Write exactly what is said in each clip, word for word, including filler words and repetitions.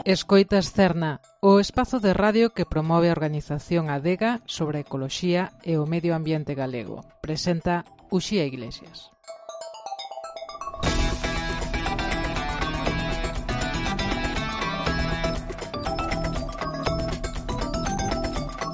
Escoitas Cerna, o espazo de radio que promove a organización Adega sobre a ecoloxía e o medio ambiente galego. Presenta Uxía Iglesias.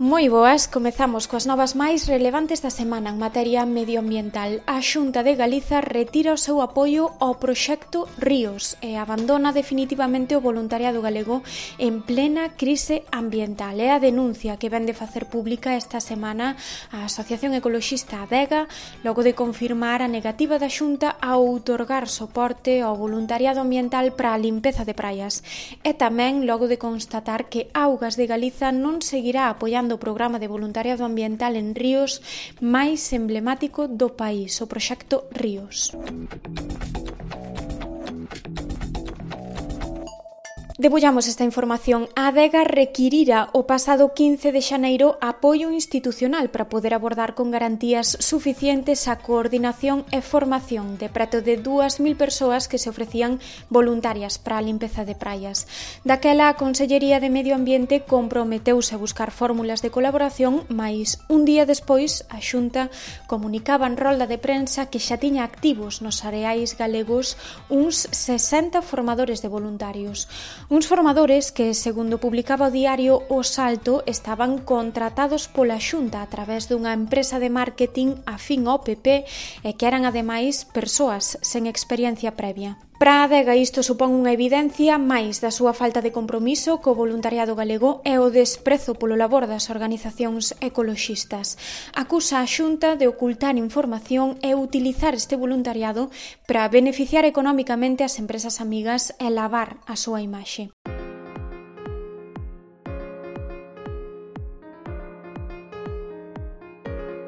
Moi boas, comezamos coas novas máis relevantes da semana en materia medioambiental. A Xunta de Galiza retira o seu apoio ao proxecto Ríos e abandona definitivamente o voluntariado galego en plena crise ambiental. É a denuncia que vén de facer pública esta semana a Asociación Ecoloxista Adega, logo de confirmar a negativa da Xunta a outorgar soporte ao voluntariado ambiental para a limpeza de praias. E tamén logo de constatar que Augas de Galiza non seguirá apoiando o programa de voluntariado ambiental en ríos máis emblemático do país, o proxecto Ríos. Debullamos esta información. A Adega requirira o pasado quince de xaneiro apoio institucional para poder abordar con garantías suficientes a coordinación e formación de preto de dúas mil persoas que se ofrecían voluntarias para a limpeza de praias. Daquela, a Consellería de Medio Ambiente comprometeuse a buscar fórmulas de colaboración, mais un día despois a Xunta comunicaba en rolda de prensa que xa tiña activos nos areais galegos uns sesenta formadores de voluntarios. Uns formadores que, segundo publicaba o diario O Salto, estaban contratados pola Xunta a través dunha empresa de marketing afín ao P P e que eran ademais persoas sen experiencia previa. Para a Adega isto supón unha evidencia máis da súa falta de compromiso co voluntariado galego e o desprezo polo labor das organizacións ecoloxistas. Acusa a Xunta de ocultar información e utilizar este voluntariado para beneficiar economicamente as empresas amigas e lavar a súa imaxe.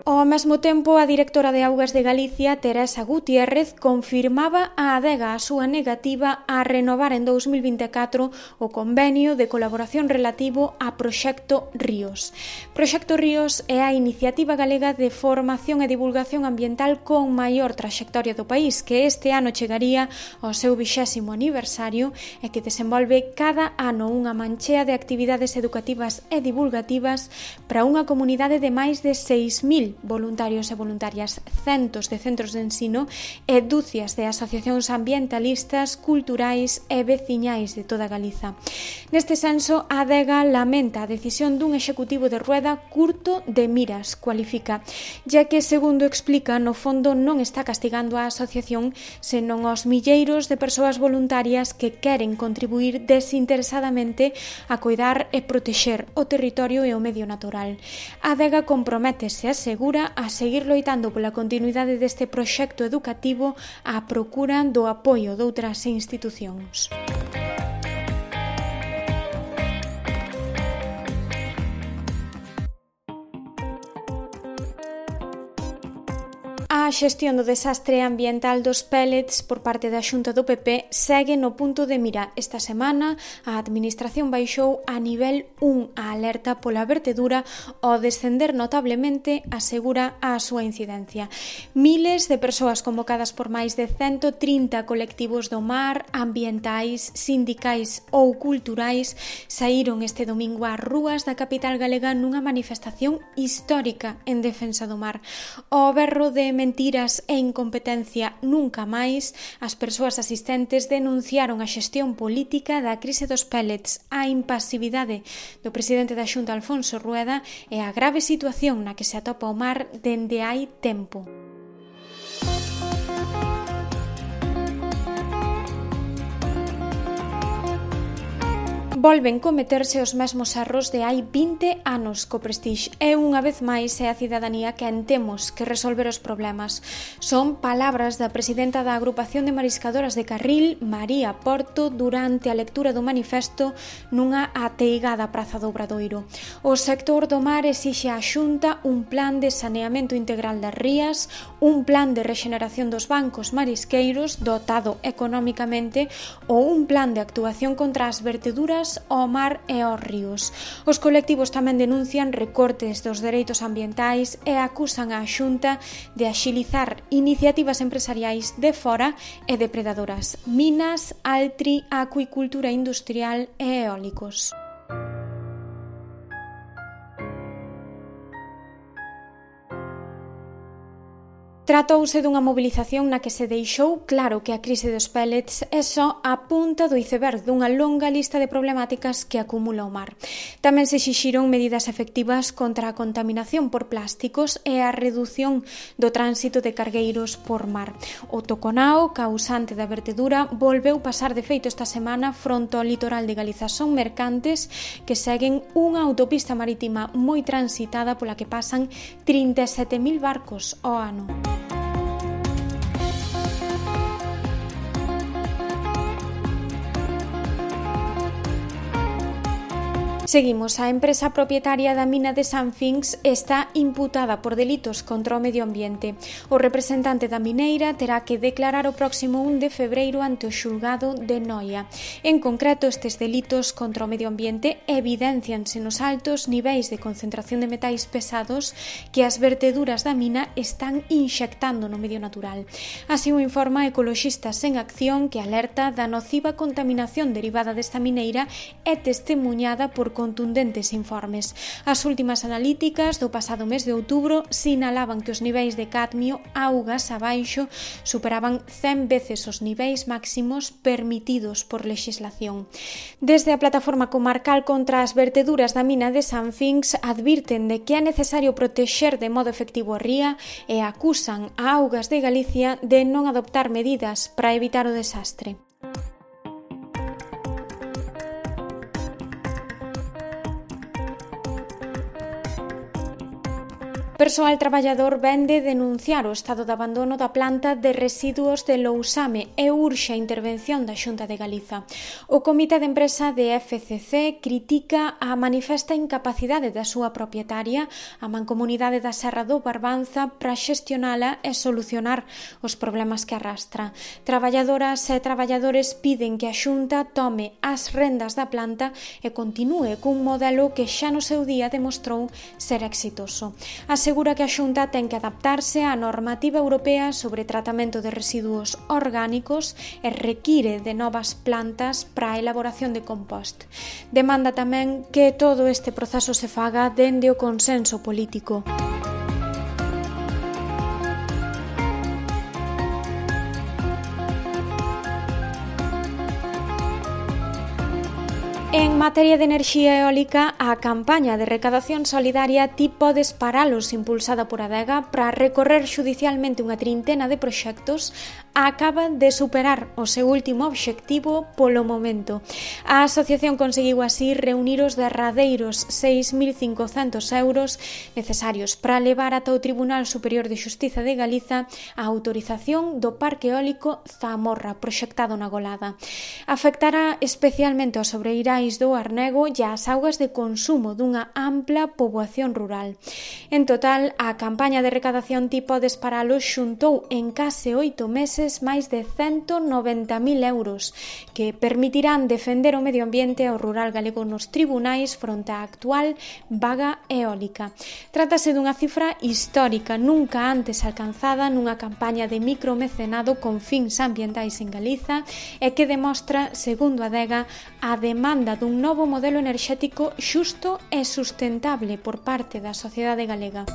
Ao mesmo tempo, a directora de Augas de Galicia, Teresa Gutiérrez, confirmaba a Adega a súa negativa a renovar en dous mil vinte e catro o convenio de colaboración relativo a Proxecto Ríos. Proxecto Ríos é a iniciativa galega de formación e divulgación ambiental con maior traxectoria do país, que este ano chegaría ao seu vixésimo aniversario e que desenvolve cada ano unha manchea de actividades educativas e divulgativas para unha comunidade de máis de seis mil voluntarios e voluntarias, centos de centros de ensino e dúcias de asociacións ambientalistas, culturais e veciñais de toda Galiza. Neste senso, a Adega lamenta a decisión dun executivo de rueda curto de miras, cualifica, ya que, segundo explica, no fondo non está castigando a asociación, senón aos milleiros de persoas voluntarias que queren contribuir desinteresadamente a coidar e protexer o territorio e o medio natural. A Adega comprométese a seguir a seguir loitando pola continuidade deste proxecto educativo á procura do apoio doutras institucións. A xestión do desastre ambiental dos pellets por parte da Xunta do P P segue no punto de mira. Esta semana, a Administración baixou a nivel un a alerta pola vertedura ao descender notablemente, asegura a súa incidencia. Miles de persoas convocadas por máis de ciento trinta colectivos do mar, ambientais, sindicais ou culturais, saíron este domingo ás rúas da capital galega nunha manifestación histórica en defensa do mar. O berro de mentiras e incompetencia nunca máis, as persoas asistentes denunciaron a xestión política da crise dos pellets, a impasividade do presidente da Xunta, Alfonso Rueda, e a grave situación na que se atopa o mar dende hai tempo. Volven cometerse os mesmos erros de hai vinte anos co Prestige e unha vez máis é a cidadanía quen temos que resolver os problemas. Son palabras da presidenta da Agrupación de Mariscadoras de Carril, María Porto, durante a lectura do manifesto nunha ateigada praza do Obradoiro. O sector do mar exixe á Xunta un plan de saneamento integral das rías, un plan de rexeneración dos bancos marisqueiros dotado economicamente ou un plan de actuación contra as verteduras augas, ao mar e aos ríos. Os colectivos tamén denuncian recortes dos dereitos ambientais e acusan a Xunta de axilizar iniciativas empresariais de fora e depredadoras, minas, altri, acuicultura industrial e eólicos. Tratouse dunha mobilización na que se deixou claro que a crise dos pellets é só a punta do iceberg dunha longa lista de problemáticas que acumula o mar. Tamén se exixiron medidas efectivas contra a contaminación por plásticos e a redución do tránsito de cargueiros por mar. O toconao, causante da vertedura, volveu pasar de feito esta semana fronte ao litoral de Galiza. Son mercantes que seguen unha autopista marítima moi transitada pola que pasan trinta e sete mil barcos ao ano. Seguimos. A empresa propietaria da mina de Sanfinx está imputada por delitos contra o medio ambiente. O representante da mineira terá que declarar o próximo un de febreiro ante o xulgado de Noia. En concreto, estes delitos contra o medio ambiente evidencianse nos altos niveis de concentración de metais pesados que as verteduras da mina están inxectando no medio natural. Así o informa Ecoloxistas en Acción, que alerta da nociva contaminación derivada desta mineira e testemuñada por contundentes informes. As últimas analíticas do pasado mes de outubro sinalaban que os niveis de cadmio augas abaixo superaban cen veces os niveis máximos permitidos por lexislación. Desde a plataforma comarcal contra as verteduras da mina de Sanfinx advirten de que é necesario protexer de modo efectivo a ría e acusan a Augas de Galicia de non adoptar medidas para evitar o desastre. Persoal traballador vende denunciar o estado de abandono da planta de residuos de Lousame e urxe a intervención da Xunta de Galiza. O Comité de Empresa de F C C critica a manifesta incapacidade da súa propietaria, a Mancomunidade da Serra do Barbanza, para xestionala e solucionar os problemas que arrastra. Traballadoras e traballadores piden que a Xunta tome as rendas da planta e continúe cun modelo que xa no seu día demostrou ser exitoso. Asegura que a Xunta ten que adaptarse á normativa europea sobre tratamento de residuos orgánicos e require de novas plantas para a elaboración de compost. Demanda tamén que todo este proceso se faga dende o consenso político. En materia de enerxía eólica, a campaña de recadación solidaria Ti podes paralos, impulsada por Adega para recorrer xudicialmente unha trintena de proxectos, acaba de superar o seu último obxectivo polo momento. A asociación conseguiu así reunir os derradeiros seis mil cincocentos euros necesarios para levar ata o Tribunal Superior de Xustiza de Galiza a autorización do Parque Eólico Zamorra, proxectado na Golada. Afectará especialmente aos sobreirais do Arnego e as augas de consumo dunha ampla poboación rural. En total, a campaña de recadación Ti podes paralos xuntou en case oito meses máis de cento noventa mil euros, que permitirán defender o medio ambiente ao rural galego nos tribunais fronte á actual vaga eólica. Trátase dunha cifra histórica nunca antes alcanzada nunha campaña de micromecenado con fins ambientais en Galiza e que demostra, segundo Adega, a demanda dun novo modelo enerxético xusto e sustentable por parte da sociedade galega.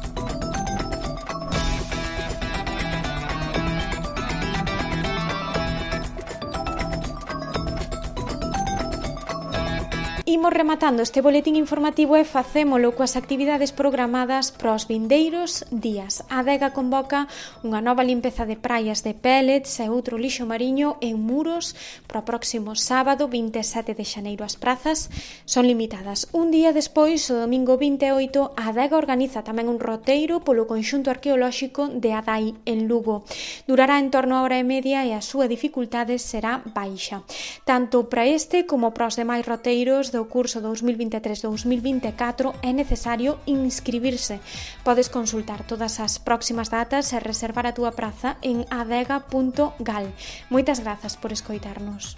Imos rematando este boletín informativo e facémolo coas actividades programadas para os vindeiros días. A Adega convoca unha nova limpeza de praias de pellets e outro lixo mariño en Muros para o próximo sábado vinte e sete de xaneiro. As prazas son limitadas. Un día despois, o domingo vinte e oito, a Adega organiza tamén un roteiro polo conxunto arqueolóxico de Adai en Lugo. Durará en torno a hora e media e a súa dificultade será baixa. Tanto para este como para os demais roteiros do curso dos mil vinte e tres dos mil vinte e catro é necesario inscribirse. Podes consultar todas as próximas datas e reservar a túa praza en adega punto gal. Moitas grazas por escoitarnos.